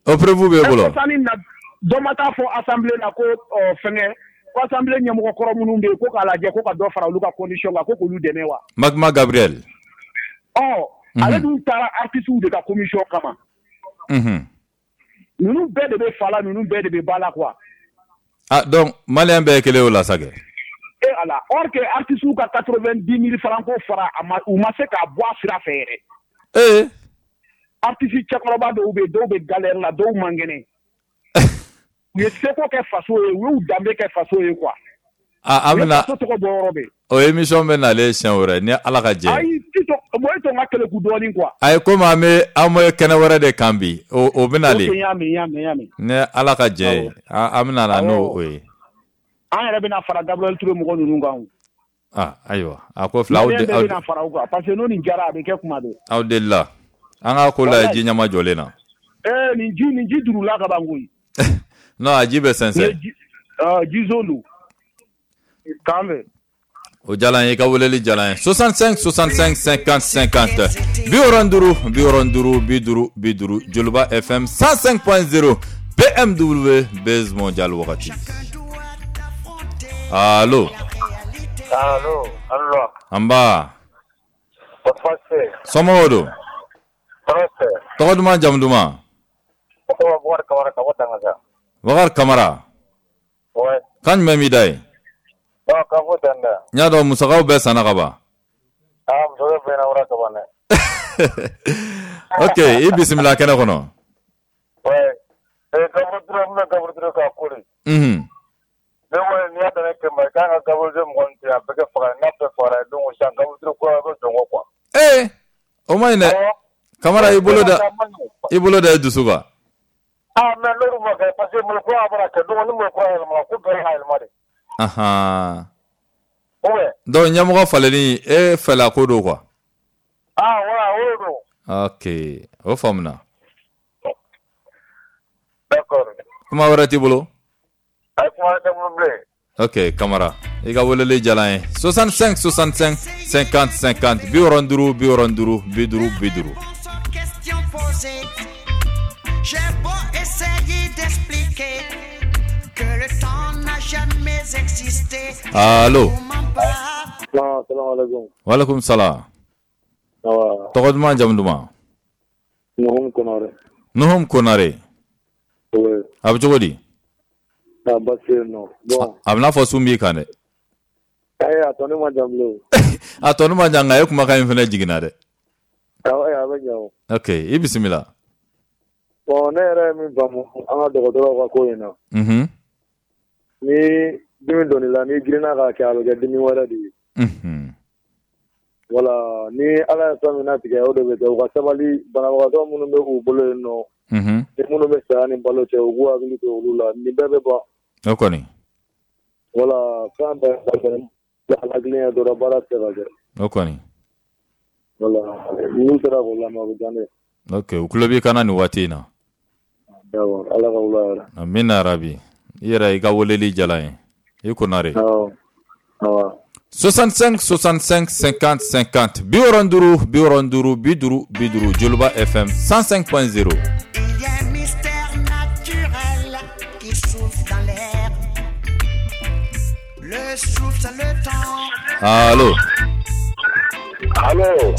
O preuve b'e bolo? Sani na dɔ ma taa fɔ assemblée la ko fɛngɛ, ko assemblée ɲɛmɔgɔ kɔrɔ minnu bɛ yen ko k'a lajɛ ko ka dɔ fara olu ka condition kan, ko k'olu dɛmɛ wa? Magma Gabriel. Ɔ, ale dun taara artistes de ka commission kama. Ninnu bɛɛ de bɛ fa la, ninnu bɛɛ de bɛ ba la quoi. Ah donc malien bɛɛ ye kelen o la sa kɛ. E ala, or que artistes ka 90 000 francs ko fara a ma, u ma se k'a bɔ a sira fɛ yɛrɛ. Ee. Artiste cɛkɔrɔba dɔw bɛ yen, dɔw bɛ galère la, dɔw man kɛnɛ. U ye seko kɛ faso ye, u y'u danbe kɛ faso ye quoi. Ah, an bɛna faso tɔgɔ bɔ yɔrɔ bɛɛ. O émission bɛ nalen siɲɛ wɛrɛ ni Ala ka jɛ. Ayi, Tito, bon e to n ka keleku dɔɔnin quoi. Ayi, komi an bɛ kɛnɛ wɛrɛ de kan bi, o bɛ nalen. Ok, n y'a mɛn, n y'a mɛn, n y'a mɛn. Ni Ala ka jɛ ye, an bɛna na n'o ye. An yɛrɛ bɛna fara Gabriel Touré mɔgɔ ninnu kan o. Ah, ayiwa, a ko fila aw de aw bɛna fara u kan parce que n'o nin jara a bɛ kɛ kuma bɛɛ. Aw delila. An ka ko lajɛ ji ɲɛma jɔlen na. Ee, nin ji durula ka ban koyi. Non, a ji bɛ sɛnsɛn. Ji zon don. K'an bɛn. O diyara n ye, i ka weleli diyara n ye. 65 65 50 50 65 65 50 50 Joliba FM 105.0 BMW Buzz Mondial wagati. Allo. Allo, allo. An ba. Somɔgɔw don? Tɔgɔ duman, jamu duman? Bakari Kamara ka bɔ Dangasa. Bakari Kamara. Ouais. Kan jumɛn b'i da yen? Bon, k'a fɔ tan dɛ. N y'a dɔn musakaw bɛɛ sanna ka ban. Ah, musakaw bɛɛ ɲɛnabɔra ka ban dɛ. Ok, i bisimila kɛnɛ kɔnɔ. Ouais. Gabriel Touré, n bɛna Gabriel Touré k'a ko de. Ne kɔni n'i y'a dan ne kɛmɛ i kan ka Gabriel Touré mɔgɔ min tigɛ a bɛɛ kɛ faga n'a bɛɛ fagara donc sisan Gabriel Touré ko a bɛ jɔn kɔ quoi. Ee, o ma ɲi dɛ. Kamara, i bolo da i dusu kan. Ah, mais n'olu ma kɛ parce que Mali kura bɔra kɛ donc ni Mali kura yɛlɛmana ko bɛɛ ka yɛlɛma de. Ahan. Ouais. Donc ɲɛmɔgɔ falenni e fɛla ko don quoi. Ah voilà, o de don. Ok, o faamuna. D'accord. Kuma wɛrɛ t'i bolo? Ayi, kuma wɛrɛ tɛ n bolo bilen. Ok, Kamara, i ka weleli diyara n ye. 65 65 50 50 65 65 50 50. J'ai beau essayer d'expliquer que le temps n'a jamais existé. Allo. Salam alaikum. Walaikum salam. Tɔgɔ duman, jamu duman? Nuhum Konare. Nuhum Konare. Oui. A bɛ cogo di? Ah, baasi tɛ yen nɔ. Bon. A bɛ n'a fɔ sun b'i kan dɛ. Ayi, a tɔ ne ma jan bilen. A tɔ ne ma jan, nka e kumakan in fana jiginna dɛ. Awɔ, a bɛ ɲɛ o. Ok, i bisimila. Bon, ne yɛrɛ ye min faamu an ka dɔgɔtɔrɔw ka ko in na. Ni dimi donn'i la, n'i girinna k'a kɛ, a bɛ kɛ dimi wɛrɛ de ye. Voilà, ni Ala ye fɛn min latigɛ, o de bɛ kɛ. U ka sabali, banabagatɔ minnu bɛ u bolo yen nɔ, ni minnu bɛ saya ni balo cɛ, u k'u hakili to olu la, nin bɛɛ bɛ ban. O kɔni. Voilà, fɛn bɛɛ ala kelen ye dɔrɔn, baara tɛ se ka kɛ. O kɔni. Voilà, n'u sera k'o lamɛn, o bɛ diya ne ye. Ok, u tulo b'i kan na nin waati in na. D'accord, Ala ka wula hɛrɛ. Amina rabi. I yɛrɛ i ka weleli diyara n ye. I Konare. Awɔ. Awɔ. 65 65 50 50 65 65 50 50 Joliba FM 105.0. Il y a un mystère naturel qui souffle dans l'air. Le souffle, c'est le temps. Allo. Allo.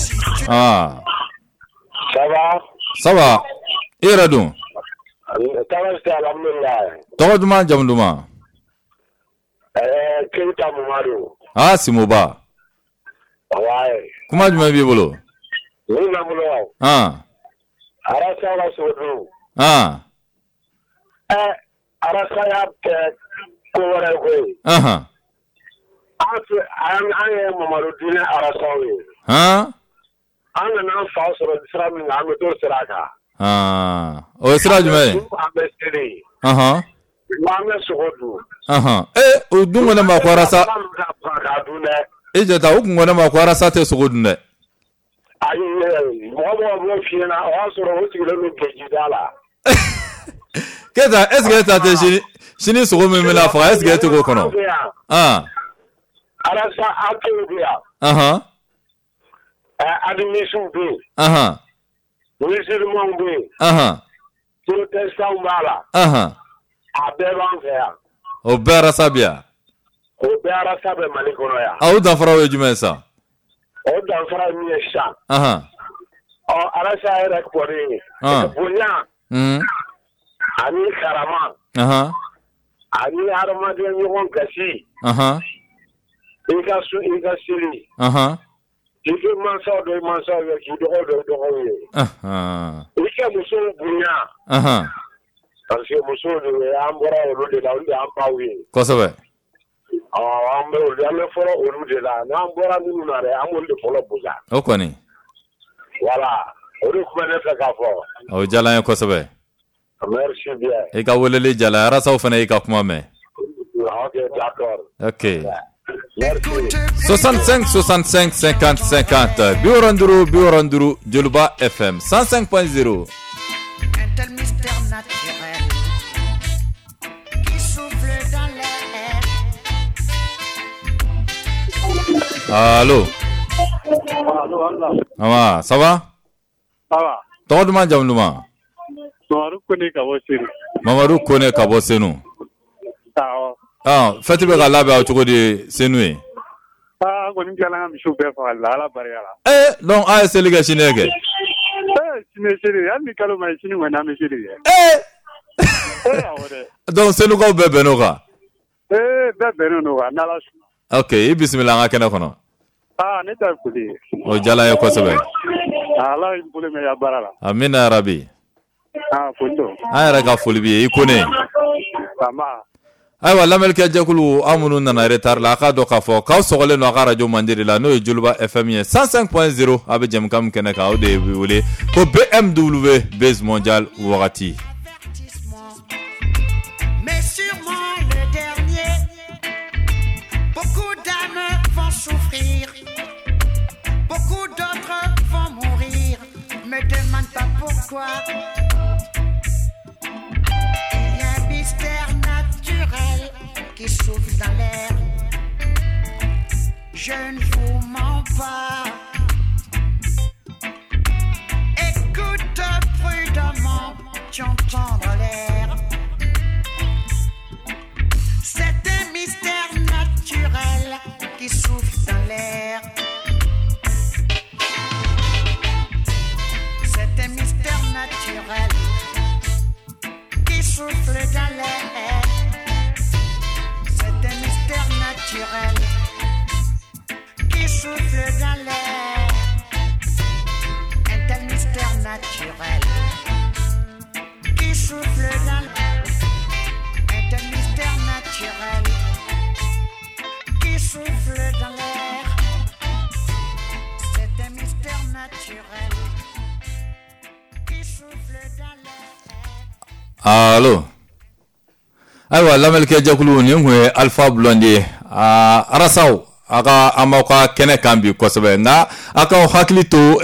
Ah. Ça va? Ça va. I yɛrɛ dun? Tɔgɔ duman, jamu duman? Keyita Mamadu. Ah, Simoba. Ouais. Kuma jumɛn b'i bolo? Min bɛ n bolo. Ah. Arasa la sogodu. Ah. Arasa y'a kɛ ko wɛrɛ ye koyi. Ahan. An ye Mamadu diinɛ arasaw ye. Han? An nana an fa sɔrɔ sira min kan, an bɛ t'o sira kan. Ah. O ye sira jumɛn ye? An bɛ seli. Ahan. An bɛ sogo dun. Ahan. O dun ko ne ma ko arasa. E jɔta, o kun ko ne ma ko arasa tɛ sogo dun dɛ. Ayi, mɔgɔ mɔgɔ b'o f'i ɲɛna, o y'a sɔrɔ o sigilen don gejida la. Keyita, est ce que e ta tɛ sini sini sogo min bɛna faga, est ce que e tɛ k'o kɔnɔ? Ah. Arasa athées bɛ yan. Ahan. Animistes bɛ yen. Ahan. Musulmans bɛ yen. Ahan. Protestants b'a la. Ahan. A bɛɛ b'an fɛ yan. O bɛɛ arasa bɛ yan. O bɛɛ arasa bɛ Mali kɔnɔ yan. A o danfaraw ye jumɛn ye sa? O danfara ye min ye sisan. Ahan. Ɔ, arasa yɛrɛ kɔni. Bonya. Ani karama. Ahan. Ani hadamaden ɲɔgɔn gasi. Ahan. I ka sun, i ka seli. Ahan. I k'i mansaw dɔn i mansaw ye, k'i dɔgɔw dɔn i dɔgɔw ye. Ahan. I ka musow bonya. Ahan. Parce que musow de an bɔra olu de la, olu de y'an baw ye. Kosɛbɛ. Ɔ, an bɛ olu, an bɛ fɔlɔ olu de la, n'an bɔra minnu na dɛ, an b'olu de fɔlɔ bonya. O kɔni. Voilà, o de tun bɛ ne fɛ k'a fɔ. O diyara an ye kosɛbɛ. Merci bien. I ka weleli diyara an ye, arasaw fana y'i ka kuma mɛn. Ok, d'accord. Ok. Merci. 65 65 50 50 65 65 Joliba FM 105.0. Un tel mystère naturel qui souffle dans l'air. Allo. Allo, Allah. Awa, ça va? Ça va. Tɔgɔ duman, jamu duman? Mamadu Kone ka bɔ Senu. Mamadu Kone ka bɔ Senu. Awɔ. Ah, fête bɛ ka labɛn aw cogo di Senu ye? Ah, an kɔni tilala an ka misiw bɛɛ fagali la, Ala barika la. Eh, donc a ye seli kɛ sini kɛ? Eh, sini ye seli ye, hali ni kalo ma ye, sini kɔni an bɛ seli kɛ. Eh! Eh, awɔ dɛ. Donc Senukaw bɛɛ bɛnn'o kan? Eh, bɛɛ bɛnnen don kan, n'Ala sɔnna. Ok, i bisimila an ka kɛnɛ kɔnɔ. Ah, ne ta ye foli ye. O diyara an ye kosɛbɛ. Ala y'i bolo mɛn i ka baara la. Amina yarabi. Ah, foli don. An yɛrɛ ka foli b'i ye, i Kone. Nba. Ayiwa, lamɛnnikɛ jɛkulu, aw minnu nana retard la, a k'a dɔn k'a fɔ k'aw sɔgɔlen don a ka radio mandi de la, n'o ye Joliba FM ye 105.0. A bɛ jɛmukan min kɛnɛ kan, o de bɛ wele ko BMW Base Mondial wagati. Mais sûrement le dernier. Beaucoup d'âmes vont souffrir, beaucoup d'autres vont mourir. Me demande pas pourquoi. Il y a un mystère naturel qui souffle dans l'air. Je ne vous mens pas. Écoute prudemment, tu entendras l'air. C'est un mystère naturel qui souffle dans l'air. C'est un mystère naturel qui souffle dans l'air. C'est un mystère naturel qui souffle dans l'air. Un tel mystère naturel qui souffle dans l'air. Un tel mystère naturel qui souffle dans l'air. C'est un mystère naturel qui souffle dans l'air. Allo. Ayiwa, lamɛnnikɛ jɛkulu, nin kun ye Alpha Blondy ye. Aa, arasaw, a ka an b'aw ka kɛnɛ kan bi kosɛbɛ, nka a k'aw hakili to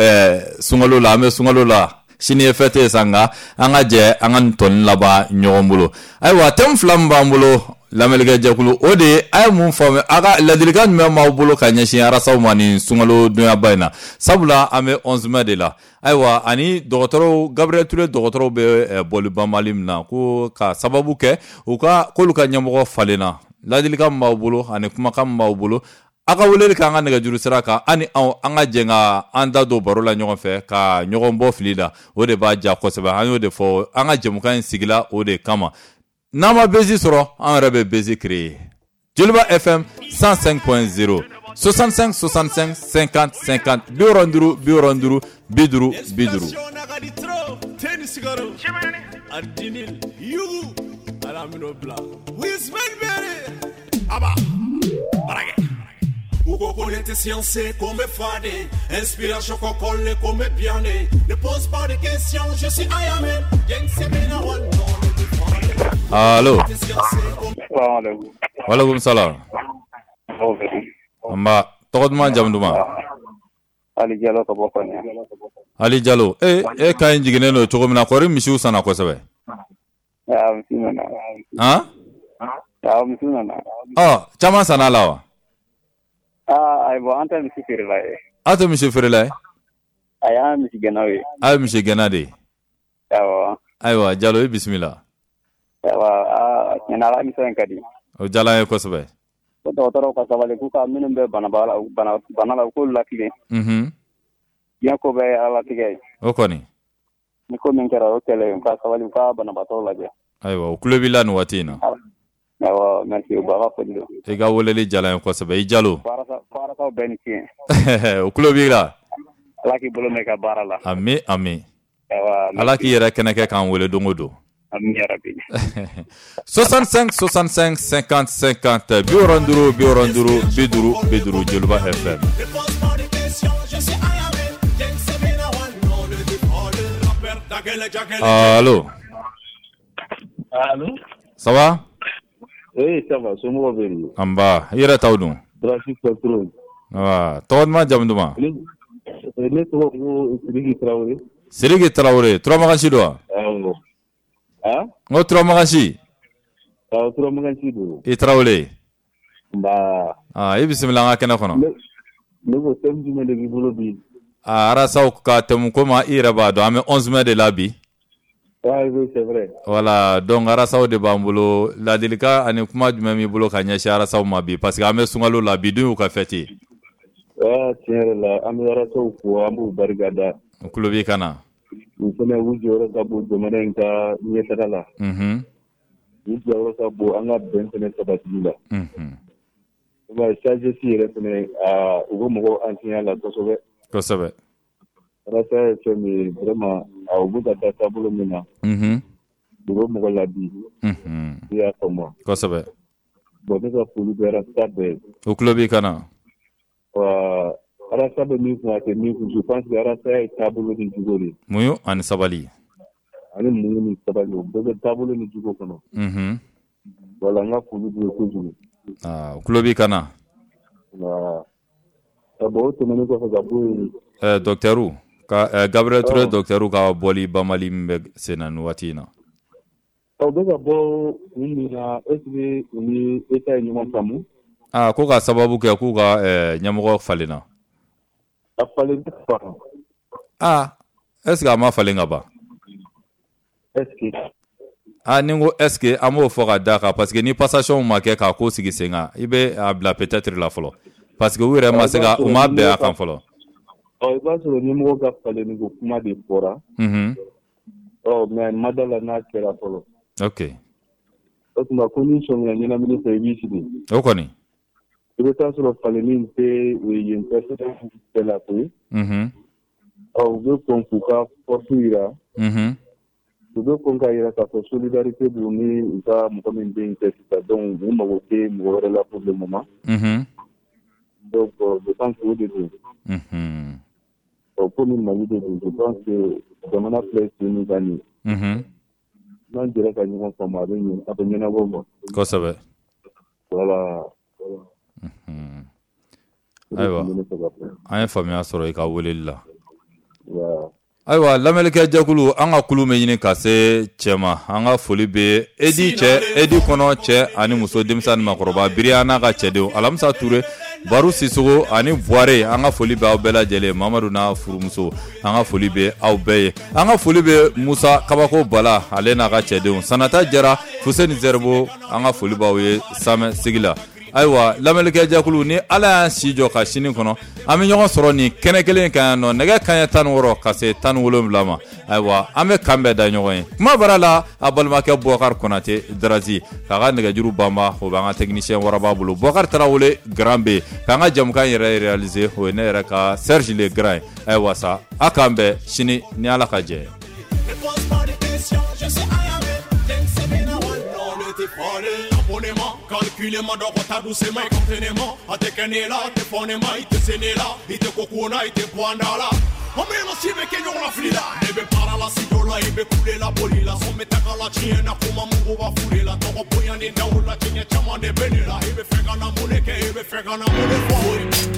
sunkalo la, an bɛ sunkalo la, sini ye fête ye sa, nka an ka jɛ an ka nin tɔnin laban ɲɔgɔn bolo. Ayiwa, thème fila min b'an bolo, lamɛnnikɛ jɛkulu, o de ye a ye mun faamu, a ka ladilikan jumɛn b'aw bolo ka ɲɛsin arasaw ma nin sunkalo donyaba in na, sabula an bɛ 11 mai de la. Ayiwa, ani dɔgɔtɔrɔw, Gabriel Touré dɔgɔtɔrɔw bɛ bɔli banbali min na, ko ka sababu kɛ u ka k'olu ka ɲɛmɔgɔ falenna, ladilikan min b'aw bolo ani kumakan min b'aw bolo, a ka weleli k'an ka nɛgɛjuru sira kan, ani anw an ka jɛ ka an da don baro la ɲɔgɔn fɛ ka ɲɔgɔn bɔ fili la, o de b'a diya kosɛbɛ. An y'o de fɔ, an ka jɛmukan in sigila o de kama. N'an ma buzz sɔrɔ, an yɛrɛ bɛ buzz créer. Joliba FM 105.0, 65 65 50 50, 65 65 50 50. Ugo connaît science comme Fadé, inspiration qu'on colle comme bien. Ne pose pas de questions, je suis Ayamé. Allo. Waaleykum salam. Nba, tɔgɔ duman, jamu duman? Ali Jalo ka bɔ Kɔɲɛ. Ali Jalo, e ka ɲi jiginnen don cogo min na, kɔri misiw sanna kosɛbɛ. Misi nana. Han? Awɔ, misi nana. Ɔ, caman sanna la wa? Aa, ayiwa, an tɛ misi feerela ye. Aw tɛ misi feerela ye? Ayi, an ye misigɛnnaw ye. Aw ye misigɛnna de ye? Awɔ. Ayiwa, Jalo, i bisimila. Ayiwa, aa, tiɲɛ na, a ka émission in ka di. O diyala an ye kosɛbɛ. Ko dɔgɔtɔrɔw ka sabali, k'u ka minnu bɛ bana la, u k'olu latilen. Diɲɛ ko bɛɛ ye Ala latigɛ ye. O kɔni. Ni ko min kɛra, o kɛlen, u ka sabali, u ka banabaatɔw lajɛ. Ayiwa, u tulo b'i la nin waati in na. Awɔ, merci, u ka foli don. I ka weleli diyala an ye kosɛbɛ, i Jalo. Ko bɛɛ ni ce. U tulo b'i la. Ala k'i bolo mɛn i ka baara la. Ami, ami. Ala k'i yɛrɛ kɛnɛ kɛ k'an wele don o don. Ami yarabi. 65 65 50 50 65 65 50 50 Joliba FM. Allô. Allô. Ça va? Oui, ça va, somɔgɔw bɛ di? Anba, i yɛrɛ taw dun? Baasi tɛ trop. Wa, tɔgɔ duman, jamu duman? Ne tɔgɔ ko Sidiki Tarawele. Sidiki Tarawele, Turamakansi don wa? Awɔ. Ah? N ko Turamakansi. Awɔ, Turamakansi don. I Tarawele. Nba. Ah, i bisimila an ka kɛnɛ kɔnɔ. Ne ko thème jumɛn de b'i bolo bi? Ah, Arasaw ka thème ko ma, i yɛrɛ b'a dɔn an bɛ 11 mai de la bi. Ah oui, c'est vrai. Voilà, donc Arasaw de b'an bolo, ladilikan ani kuma jumɛn b'i bolo ka ɲɛsin Arasaw ma bi, parce que an bɛ sunkalo la bi dun y'u ka fête ye. Ah, tiɲɛ yɛrɛ la, an bɛ Arasaw fo, an b'u barika da. U tulo b'i kan na. U fana u jɔyɔrɔ ka bon jamana in ka ɲɛtaga la. U jɔyɔrɔ ka bon an ka bɛn fana sabatili la. I b'a ye sagesse yɛrɛ fana, u bɛ mɔgɔw enseigner la kosɛbɛ. Kosɛbɛ. Arasa ye fɛn min ye vraiment, u bɛ ka taa taabolo min na. U bɛ mɔgɔ labi. I y'a faamu. Kosɛbɛ. Bon, ne ka foli bɛ Arasa bɛɛ ye. U tulo b'i kan na. Wa Arasa bɛ min kun, a tɛ min kun, je pense que Arasa ye taabolo ni jogo de ye. Muɲu ani sabali. Ani muɲu ni sabali, o bɛɛ bɛ taabolo ni jogo kɔnɔ. Voilà, n ka foli b'u ye kojugu. Aa, u tulo b'i kan na. Wa bon, o tɛmɛnen kɔfɛ ka bɔ yen. Docteur ka Gabriel Touré docteur ka bɔli banbali min bɛ sen na nin waati in na. Ɔ, bɛ ka bɔ kun min na, est ce que u ni État ye ɲɔgɔn faamu? Aa, ko ka sababu kɛ k'u ka ɲɛmɔgɔ falenna. A falen tɛ ban. Aa, est ce que a ma falen ka ban? Est ce que. Aa, ni n ko est ce que an b'o fɔ ka d'a kan, parce que ni passation ma kɛ k'a ko sigi sen kan, i bɛ a bila peut-être la fɔlɔ. Parce que u yɛrɛ ma se ka, u ma bɛn a kan fɔlɔ. Ɔ, i b'a sɔrɔ ɲɛmɔgɔ ka falenni ko kuma de fɔra. Ɔ, mais ma da la n'a kɛra fɔlɔ. Ok. O tuma ko n'i sɔmina ɲɛnamini fɛ, i b'i sigi. O kɔni. I bɛ taa sɔrɔ falenni tɛ yen personnel bɛɛ la koyi. Ɔ, u bɛ kɔn k'u ka force jira. U bɛ kɔn k'a jira k'a fɔ solidarité b'u ni u ka mɔgɔ min bɛ yen cɛ sisan, donc u mago tɛ mɔgɔ wɛrɛ la pour le moment. Donc je pense que o de don. Ɔ, komi Mali de don, je pense que jamana filɛ sen min kan nin ye. N'an jɛra ka ɲɔgɔn faamu, a bɛ ɲɛ, a bɛ ɲɛnabɔ quoi. Kosɛbɛ. Voilà. Ayiwa, an ye faamuya sɔrɔ i ka weleli la. Ayiwa, lamɛnnikɛ jɛkulu, an ka kulu bɛ ɲini ka se cɛ ma. An ka foli bɛ Edi cɛ, Edi kɔnɔ cɛ ani muso, denmisɛn ni maakɔrɔba, Biriya n'a ka cɛdenw, Alamisa Ture, Baru Sisogo ani Buware, an ka foli bɛ aw bɛɛ lajɛlen, Mamadu n'a furumuso, an ka foli bɛ aw bɛɛ ye. An ka foli bɛ Musa Kabako Bala, ale n'a ka cɛdenw, Sanata Jara, Fuseni Zɛribo, an ka foli b'aw ye Samɛ sigi la. Ayiwa, lamɛnnikɛ jɛkulu, ni Ala y'an si jɔ ka sini kɔnɔ, an bɛ ɲɔgɔn sɔrɔ nin kɛnɛ kelen kan yan nɔ, nɛgɛ kanɲɛ 16 ka se 17 ma. Ayiwa, an bɛ kan bɛɛ da ɲɔgɔn ye. Kuma bara la, a balimakɛ Boubacar Konate Darazi k'a ka nɛgɛjuru banba, o b'an ka technicien waraba bolo, Boubacar Tarawele Grand B, k'an ka jamukan yɛrɛ réaliser, o ye ne yɛrɛ ka Serge Le Grand ye. Ayiwa sa, a k'an bɛn sini ni Ala ka jɛ ye. Calculez-moi donc ta doucement et contenez-moi. A te kenela, te fonema, i te senela, i te kokona, i te poandala. Omeno sibe ke ɲɔgɔn la fili la. Ne bɛ baara la studio la, i bɛ kule la boli la. Sɔn bɛ taga la tiɲɛ na, kuma mugu b'a fure la. Tɔgɔ bonya ni daw la, tiɲɛ caman de bɛ ne la. I bɛ fɛ ka na mun de kɛ, i bɛ fɛ ka na mun de fɔ.